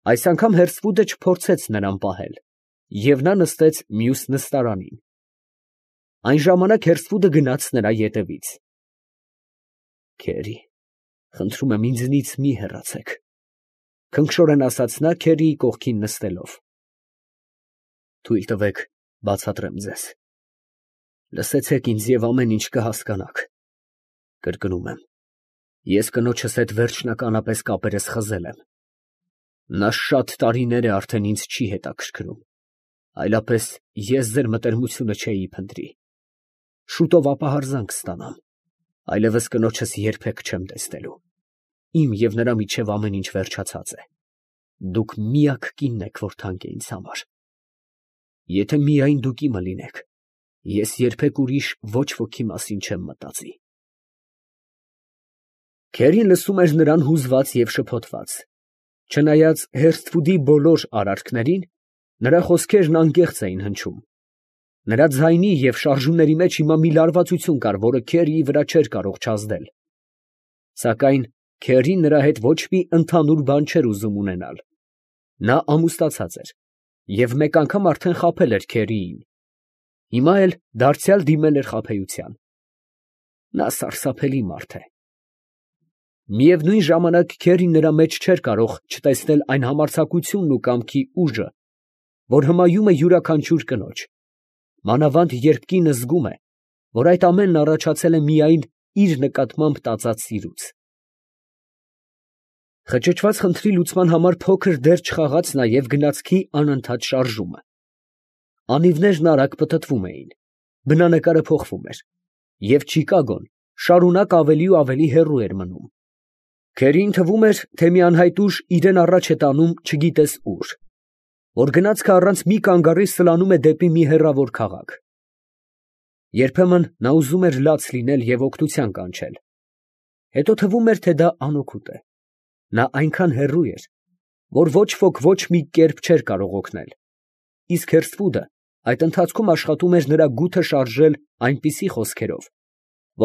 Այս անգամ Հերսվուդը չփորձեց նրան պահել, և նա նստեց մյուս նստարանին։ Այն ժամանակ Հերսվուդը գնաց նրա ետևից։ Քերի, խնդրում եմ, ինձնից մի հեռացեք, ֊ քնքշորեն ասաց նա Քերիի կողքին նստելով։ Թույլ տվեք բացատրեմ ձեզ։ Լսեցեք ինձ և ամեն ինչ կհասկանաք։ Կրկնում եմ, ես կնոջս հետ վերջնականապես կապերս խզել եմ։ Նա շատ տարիներ է արդեն ինձ չի հետաքրքրում, այլապես ես ձեր մտերմությունը չէի փնտրի։ Շուտով ապահարզանք կստանամ, այլևս կնոջս երբեք չեմ տեսնելու։ Իմ և նրա միջև ամեն ինչ վերջացած է։ Դուք միակ կինն եք, որ թանկ է ինձ համար։ Եթե միայն դուք իմը լինեք, ես երբեք ուրիշ ոչ ոքի մասին չեմ մտածի։ Քերին լսում էր նրան հուզված և շփոթված։ Չնայած Հերսթվուդի բոլոր արարքներին, նրա խոսքերն անկեղծ էին հնչում։ Նրա ձայնի և շարժումների մեջ հիմա մի լարվածություն կար, որը Քերիի վրա չէր կարող չազդել։ Սակայն Քերին նրա հետ ոչ մի ընդհանուր բան չէր ուզում ունենալ։ Նա ամուսնացած էր և մեկ անգամ արդեն խաբել էր Քերիին։ Հիմա էլ դարձյալ դիմել էր խաբեության։ Նա սարսափելի մարդ է։ Միևնույն ժամանակ Քերին նրա մեջ չէր կարող չտեսնել այն համարձակությունն ու կամքի ուժը, որ հմայում է յուրաքանչյուր կնոջ, մանավանդ երբ կինը զգում է, որ այդ ամենն առաջացել է միայն իր նկատմամբ տածած սիրուց։ Խճճված խնդրի լուծման համար փոքր դեր չխաղաց նաև գնացքի անընդհատ շարժումը։ Անիվներն արագ պտտվում էին, բնանկարը փոխվում էր, և Չիկագոն շարունակ ավելի ու ավելի հեռու էր մնում։ Քերիին թվում էր, թե մի անհայտ ուժ իրան առաջ է տանում չգիտես ուր, որ գնացքը առանց մի կանգառի սլանում է դեպի մի հեռավոր քաղաք։ Երբեմն նա ուզում էր լաց լինել և օգնության կանչել, հետո թվում էր, թե դա անօգուտ է։ Նա այնքան հեռու էր, որ ոչ ոք ոչ մի կերպ չէր կարող օգնել, իսկ Հերսվուդը այդ ընթացքում աշխատում էր նրա գութը շարժել այնպիսի խոսքերով,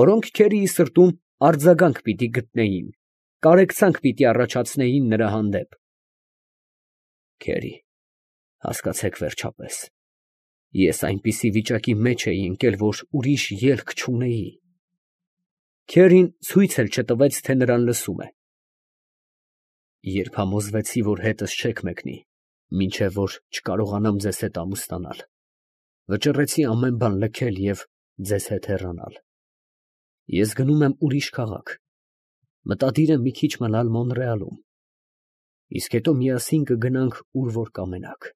որոնք Քերիի սրտում արձագանք պիտի գտնեին, կարեկցանք պիտի առաջացնեին նրա հանդեպ։ Քերի, հասկացեք վերջապես, ես այնպիսի վիճակի մեջ էի ընկել, որ ուրիշ ելք չունեի։ Քերին ցույց էլ չտվեց, թե նրան լսում է։ Երբ համոզվեցի, որ հետս չեք մեկնի, մինչև որ չկարողանամ ձեզ հետ ամուսնանալ, վճռեցի ամեն բան լքել և ձեզ հետ հեռանալ։ Ես գնում եմ ուրիշ քաղաք, մտադիր եմ մի քիչ մնալ Մոնրեալում, իսկ հետո միասին կգնանք, ուր որ կամենաք։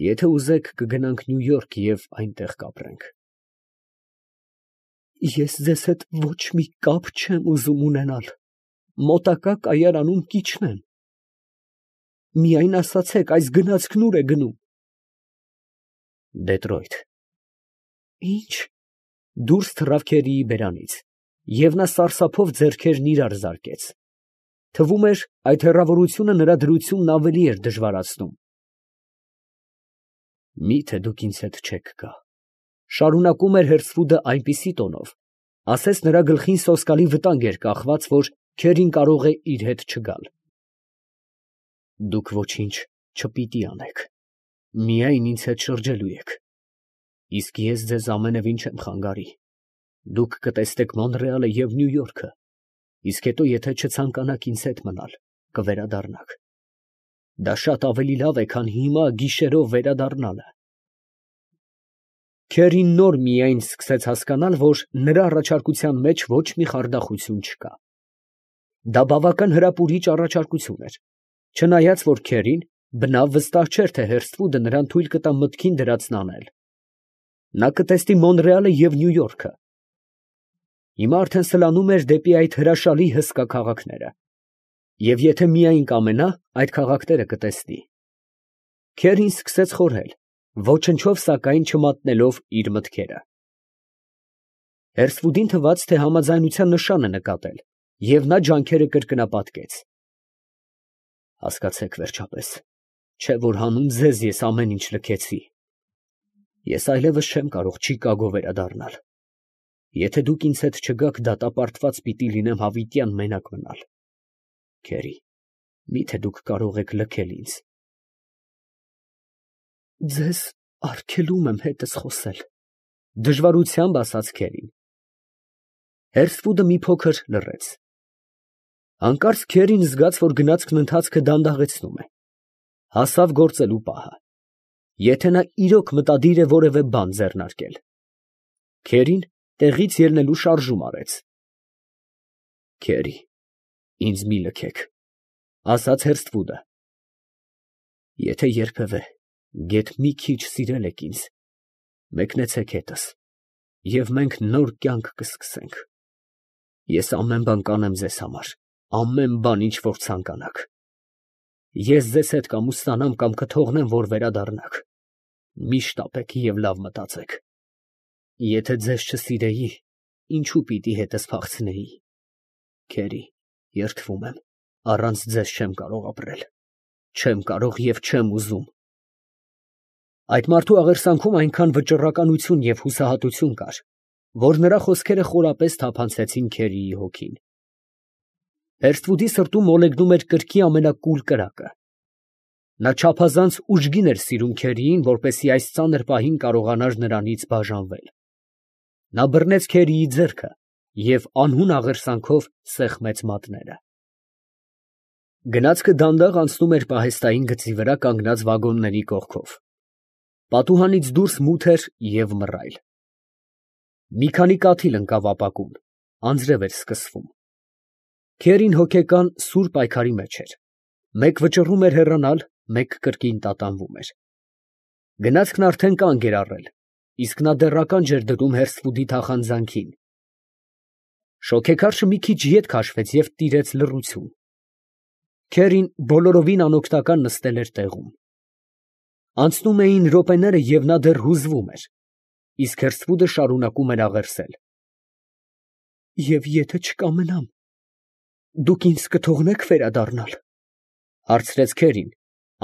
Եթե ուզեք, կգնանք Նյու Յորք և այնտեղ կապրենք։ Ես ձեզ հետ ոչ մի կապ չեմ ուզում ունենալ, մոտակա կայարանում կիջնեմ։ Միայն ասացեք, այս գնացքն ուր է գնում։ Դետրոյթ։ Ի՞նչ։ Դուրս թռավ Քերիի բերանից, և նա սարսափով ձեռքերն իրար զարկեց։ Թվում էր, այդ հեռավորությունը նրա դրությունն ավելի էր դժվարացնում։ Մի՞թե դուք ինձ հետ չեք գա, ֊ շարունակում էր Հերսվուդը այնպիսի տոնով, ասես նրա գլխին սոսկալի վտանգ էր կախված, որ Քերին կարող է իր հետ չգալ։ Դուք ոչինչ չպիտի անեք, միայն ինձ հետ շրջելու եք, իսկ ես ձեզ ամենևին չեմ խանգարի։ Դուք կտեսնեք Մոնրեալը և Նյու Յորքը, իսկ հետո, եթե չցանկանաք ինձ հետ մնալ, կվերադառնաք։ Դա շատ ավելի լավ է, քան հիմա գիշերով վերադառնալը։ Քերին նոր միայն սկսեց հասկանալ, որ նրա առաջարկության մեջ ոչ մի խարդախություն չկա։ Դա բավական հրապուրիչ առաջարկություն էր, չնայած որ Քերին բնավ վստահ չէր, թե Հերսթվուդը նրան թույլ կտա մտքին դրածն անել։ Նա կտեսնի Մոնրեալը և Նյու Յորքը։ Հիմա արդեն սլանում էր դեպի այդ հրաշալի հսկա քաղաքները, և եթե միայն կամենա, այդ քաղաքները կտեսնի։ Քերին սկսեց խորհել, ոչնչով սակայն չմատնելով իր մտքերը։ Հերսվուդին թվաց, թե համաձայնության նշան է նկատել, և նա ջանքերը կրկնապատկեց։ Հասկացեք վերջապես, չէ՞ որ հանուն ձեզ ես ամեն ինչ լքեցի։ Ես այլևս չեմ կարող Չիկագո վերադառնալ։ Եթե դուք ինձ հետ չգաք, դատապարտված պիտի լինեմ հավիտյան մենակ մնալ։ Քերի, Միթե դուք կարող եք լքել ինձ։ Ձեզ արգելում եմ հետս խոսել, դժվարությամբ ասաց Քերին։ Հերսվուդը մի փոքր լռեց։ Հանկարծ Քերին զգաց, որ գնացքն ընթացքը դանդաղեցնում է, հասավ գործելու պահը, եթե նա իրոք մտադիր է որևէ բան ձեռնարկել։ Քերին տեղից ելնելու շարժում արեց։ Քերի, ինձ մի լքեք, ասաց Հերսվուդը։ Եթե երբևէ գեթ մի քիչ սիրել եք ինձ, մեկնեցեք հետս, և մենք նոր կյանք կսկսենք։ Ես ամեն բան կանեմ ձեզ համար, ամեն բան, ինչ որ ցանկանաք։ Ես ձեզ հետ կամ ուստանամ, կամ կթողնեմ, որ վերադառնաք։ Միշտ ապեք և լավ մտածեք։ Եթե ձեզ չսիրեի, ինչու պիտի հետս փախցնեի։ Քերի, երդվում եմ, առանց ձեզ չեմ կարող ապրել։ Չեմ կարող և չեմ ուզում։ Այդ մարդու աղերսանքում այնքան վճռականություն և հուսահատություն կար, որ նրա խոսքերը խորապես թափանցեցին Քերիի հոգին։ Հերսվուդի սրտում մոլեգնում էր կրքի ամենակուլ կրակը։ Նա չափազանց ուժգին էր սիրում Քերիին, որպեսզի այս ծանր պահին կարողանար նրանից բաժանվել։ Նա բռնեց Քերիի ձեռքը և անհուն աղերսանքով սեղմեց մատները։ Գնացքը դանդաղ անցնում էր պահեստային գծի վրա կանգնած վագոնների կողքով։ Պատուհանից դուրս մութ էր և մռայլ։ Մի քանի կաթիլ ընկավ ապակուն, անձրև էր սկսվում։ Քերին հոգեկան սուր պայքարի մեջ էր, մեկ վճռում էր հեռանալ, մեկ կրկին տատանվում էր։ Գնացքն արդեն կանգ էր առել, իսկ նա դեռ ականջ էր դնում Հերսվուդի թախանձանքին։ Շոգեքարշը մի քիչ ետ քաշվեց և տիրեց լռություն։ Քերին բոլորովին անօգնական նստել էր տեղում։ Անցնում էին րոպեները, և նա դեռ հուզվում էր, իսկ Հերսվուդը շարունակում էր աղերսել։ Եվ եթե չկամենամ, դուք ինձ կթողնե՞ք վերադառնալ, հարցրեց Քերին,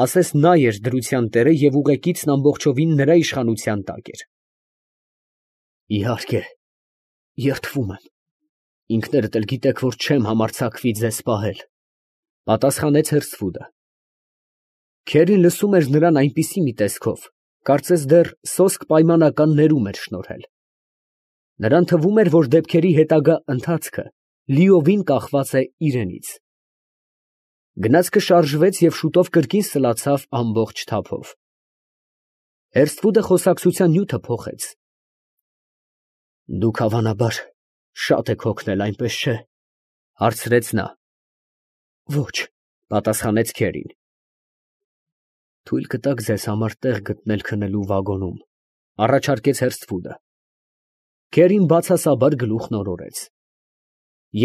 ասես նա էր դրության տերը և ուղեկիցն ամբողջովին նրա իշխանության տակ էր։ Իհարկե, երդվում եմ, ինքներդ էլ գիտեք, որ չեմ համարձակվի ձեզ պահել, պատասխանեց Հերսվուդը։ Քերին լսում էր նրան այնպիսի մի տեսքով, կարծես դեռ սոսկ պայմանական ներում էր շնորհել։ Նրան թվում էր, որ դեպքերի հետագա ընթացքը լիովին կախված է իրենից։ Գնացքը շարժվեց և շուտով կրկին սլացավ ամբողջ թափով։ Հերսվուդը խոսակցության նյութը փոխեց։ Դուք հավանաբար շատ եք հոգնել, այնպես չէ՞, հարցրեց նա։ Ոչ, պատասխանեց Քերին։ Թույլ կտաք ձեզ համար տեղ գտնել քնելու վագոնում, առաջարկեց Հերսվուդը։ Քերին բացասաբար գլուխն օրորեց։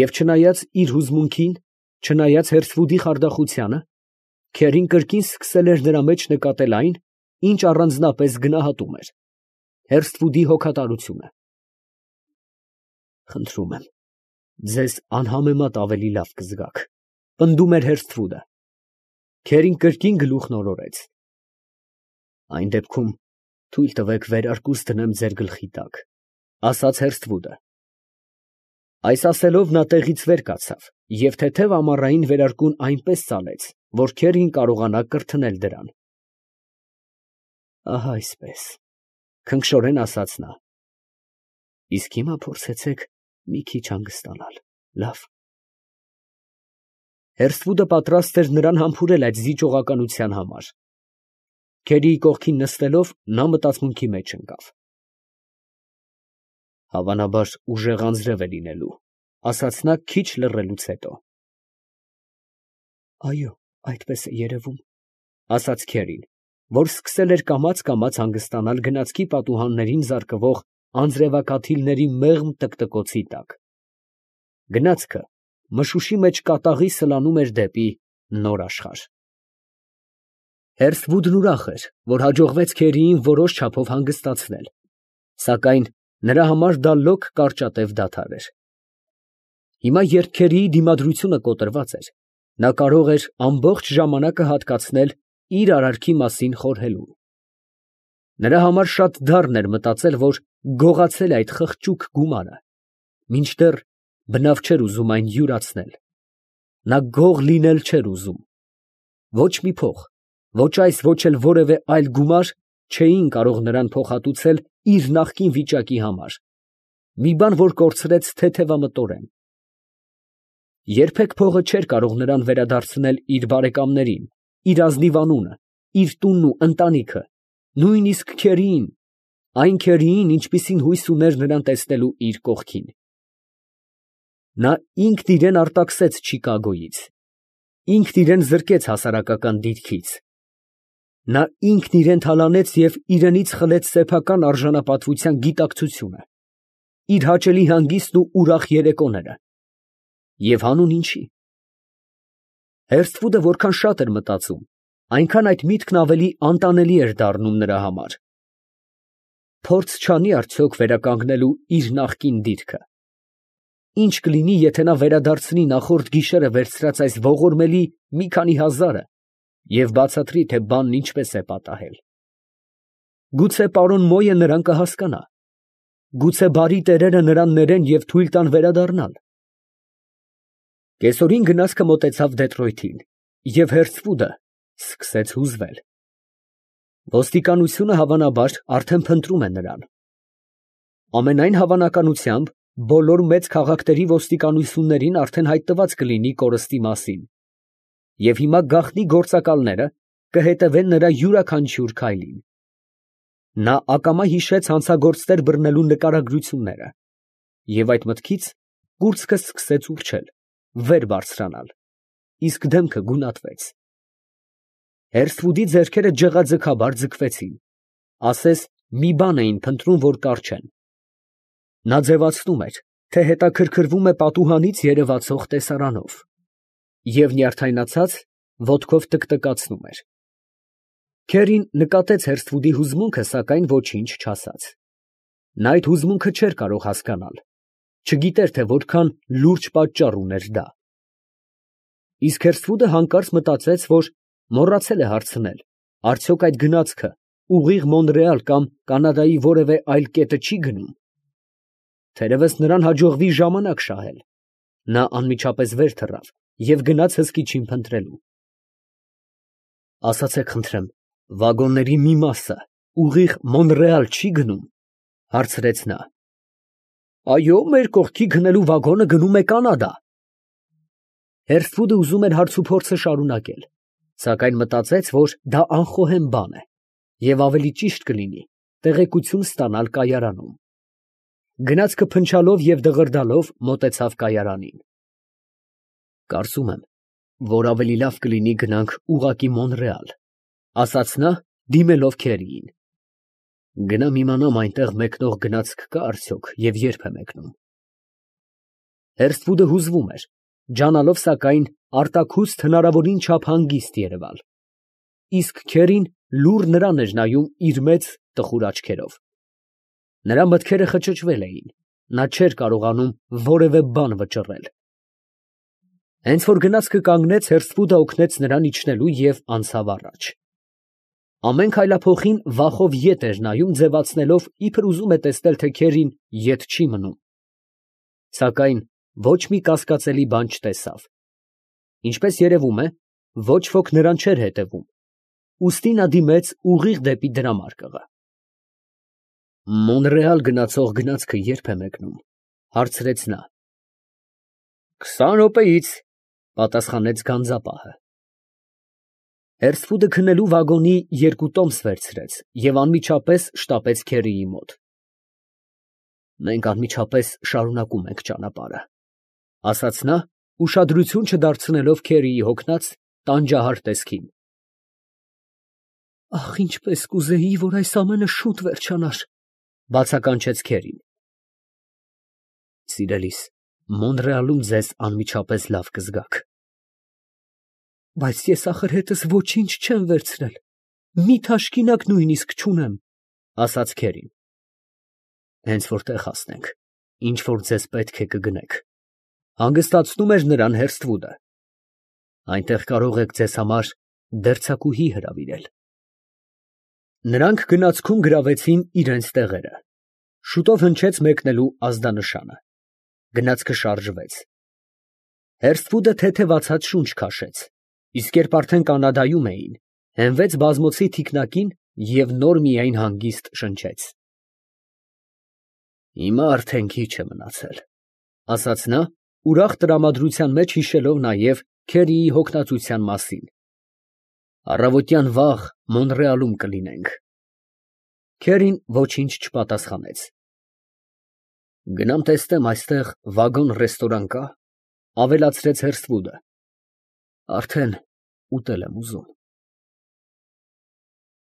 Եվ չնայած իր հուզմունքին, չնայած Հերսվուդի խարդախությանը, Քերին կրկին սկսել էր նրա մեջ նկատել այն, ինչ առանձնապես գնահատում էր՝ Հերսվուդի հոգատարությունը։ Խնդրում եմ, ձեզ անհամեմատ ավելի լավ կզգաք, պնդում էր Հերսվուդը։ Քերին կրկին գլուխն օրորեց։ Այն դեպքում թույլ տվեք վերարկուս դնեմ ձեր գլխի տակ, ասաց Հերսվուդը։ Այս ասելով նա տեղից վեր կացավ և թեթև ամառային վերարկուն այնպես ծալեց, որ Քերին կարողանա կրթնել դրան։ Ահա այսպես, քնքշորեն ասաց նա։ Իսկ հիմա փորձեցեք մի քիչ հանգստանալ, լավ։ Հերսվուդը պատրաստ էր նրան համբուրել այդ զիջողականության համար։ Քերիի կողքին նստելով, նա մտածմունքի մեջ ընկավ։ Հավանաբար ուժեղ անձրև է լինելու, ասաց նա քիչ լռելուց հետո։ Այո, այդպես է երևում, ասաց Քերին, որ սկսել էր կամաց հանգստանալ գնացքի պատուհաններին զարկվող անձրևակաթիլների մեղմ տկտկոցի տակ։ Գնացքը մշուշի մեջ կատաղի սլանում էր դեպի նոր աշխարհ։ Հերսվուդն ուրախ էր, որ հաջողվեց Քերիին որոշ չափով հանգստացնել, սակայն նրա համար դա լոկ կարճատև դադար էր։ Հիմա, երբ Քերիի դիմադրությունը կոտրված էր, նա կարող էր ամբողջ ժամանակը հատկացնել իր արարքի մասին խորհելուն։ Նրա համար շատ դառն էր մտածել, որ գողացել է այդ խղճուկ գումարը, մինչդեռ բնավ չէր ուզում այն յուրացնել։ Նա գող լինել չէր ուզում, Ոչ մի փող, ոչ այս, ոչ էլ որևէ այլ գումար չէին կարող նրան փոխհատուցել իր նախկին վիճակի համար, մի բան, որ կորցրեց թեթևամտորեն։ Երբեք փողը չէր կարող նրան վերադարձնել իր բարեկամներին, իր ազնիվ անունը, իր տունն ու ընտանիքը, նույնիսկ քերիին, այն քերիին, ինչպիսին հույս ուներ նրան տեսնելու իր կողքին։ Նա ինքն իրան արտաքսեց Չիկագոյից, ինքն իրան զրկեց հասարակական դիրքից, նա ինքն իրան թալանեց և իրենից խլեց սեփական արժանապատվության գիտակցությունը, իր հաճելի հանգիստն ու ուրախ երեկոները։ Եվ հանուն ինչի։ Հերսթվուդը որքան շատ էր մտածում, այնքան այդ միտքն ավելի անտանելի էր դառնում նրա համար։ Փորձ չանի արդյոք վերականգնելու իր նախկին դիրքը։ Ինչ կլինի, եթե նա վերադարձնի նախորդ գիշերը վերցրած այս ողորմելի մի քանի հազարը և բացատրի, թե բանն ինչպես է պատահել։ Գուցե պարոն Մոյը նրան կհասկանա, գուցե բարի տերերը նրան ներեն և թույլ տան վերադառնալ։ Կեսօրին գնացքը մոտեցավ Դեթրոյթին, և Հերսթվուդը սկսեց հուզվել։ Ոստիկանությունը, հավանաբար, արդեն փնտրում է նրան։ Ամենայն հավանականությամբ, բոլոր մեծ քաղաքների ոստիկանություններին արդեն հայտնված կլինի կորստի մասին, և հիմա գաղտնի գործակալները կհետևեն նրա յուրաքանչյուր քայլին։ Նա ակամա հիշեց հանցագործներ բռնելու նկարագրությունները, և այդ մտքից կուրծքը սկսեց ուռչել, վեր բարձրանալ, իսկ դեմքը գունատվեց։ Հերսթվուդի ձեռքերը ջղաձգաբար ձգվեցին, ասես մի բան էին փնտրում, որ կարճեն։ Նա ձևացնում էր, թե հետաքրքրվում է պատուհանից երևացող տեսարանով, և նյարդայնացած ոտքով տկտկացնում էր։ Քերին նկատեց Հերսթվուդի հուզմունքը, սակայն ոչինչ չասաց։ Նա այդ հուզմունքը չէր կարող հասկանալ, չգիտեր, թե որքան լուրջ պատճառ ուներ դա։ Իսկ Հերսթվուդը հանկարծ մտածեց, որ մոռացել է հարցնել, արդյոք այդ գնացքը ուղիղ Մոնրեալ կամ Կանադայի որևէ այլ կետը չի գնում։ Թերևս նրան հաջողվի ժամանակ շահել։ Նա անմիջապես վեր թռավ և գնաց հսկիչին փնտրելու։ Ասացեք խնդրեմ, վագոնների մի մասը ուղիղ Մոնրեալ չի գնում, հարցրեց նա։ Այո, մեր կողքի գնելու վագոնը գնում է Կանադա։ Հերսթվուդը ուզում էր հարցուփորձը շարունակել, սակայն մտածեց, որ դա անխոհեմ բան է, և ավելի ճիշտ կլինի տեղեկություն ստանալ կայարանում։ Գնացքը փնչալով և դղրդալով մոտեցավ կայարանին։ Կարծում եմ, որ ավելի լավ կլինի գնանք ուղղակի Մոնրեալ, ասաց նա, դիմելով Քերիին։ Գնամ իմանամ այնտեղ մեկնող գնացք կա արդյոք և երբ է մեկնում։ Հերսթվուդը հուզվում էր, ջանալով սակայն արտաքուստ հնարավորին չափ հանգիստ երևալ, իսկ Քերին լուռ նրան էր նայում իր մեծ տխուր աչքերով։ Նրա մտքերը խճճվել էին, նա չէր կարողանում որևէ բան վճռել։ Հենց որ գնացքը կանգնեց, Հերսթվուդը օգնեց նրան իջնելու և անցավ առաջ։ Ամեն քայլափոխին վախով ետ էր նայում, ձևացնելով, իբր ուզում է տեսնել, թե Քերին ետ չի մնում։ Սակայն ոչ մի կասկածելի բան չտեսավ։ Ինչպես երևում է, ոչ ոք նրան չէր հետևում, ուստի նա դիմեց ուղիղ դեպի դրամարկղը։ Մոնրեալ գնացող գնացքը երբ է մեկնում, հարցրեց նա։ 20 րոպեից, պատասխանեց գանձապահը։ Հերսթվուդը քնելու վագոնի 2 տոմս վերցրեց և անմիջապես շտապեց Քերիի մոտ։ Մենք անմիջապես շարունակում ենք ճանապարհը, ասաց նա, ուշադրություն չդարձնելով Քերիի հոգնած, տանջահար տեսքին։ Ախ, ինչպես կուզեի, որ այս ամենը շուտ վերջանար, բացականչեց Քերին։ Սիրելիս, Մոնրեալում ձեզ անմիջապես լավ կզգաք։ Բայց ես ախր հետս ոչինչ չեմ վերցրել, մի թաշկինակ նույնիսկ չունեմ, ասաց Քերին։ Հենց որ տեղ հասնենք, ինչ որ ձեզ պետք է կգնեք, հանգստացնում էր նրան Հերսթվուդը։ Այնտեղ կարող եք ձեզ համար դերձակուհի հրավիրել։ Նրանք գնացքում գրավեցին իրենց տեղերը։ Շուտով հնչեց մեկնելու ազդանշանը։ Գնացքը շարժվեց։ Հերսթվուդը թեթևացած շունչ քաշեց, Իսկ երբ արդեն Կանադայում էին, հենվեց բազմոցի թիկնակին և նոր միայն հանգիստ շնչեց։ «Հիմա արդեն քիչ է մնացել», ֊ ասաց նա, ուրախ տրամադրության մեջ հիշելով նաև Քերիի հոգնածության մասին։ «Առավոտյան վաղ Մոնրեալում կլինենք»։ Քերին ոչինչ չպատասխանեց։ «Գնամ տեսնեմ այստեղ վագոն֊ռեստորան կա՞, ֊ ավելացրեց Հերսթվուդը, ֊ արդեն ուտել եմ ուզում»։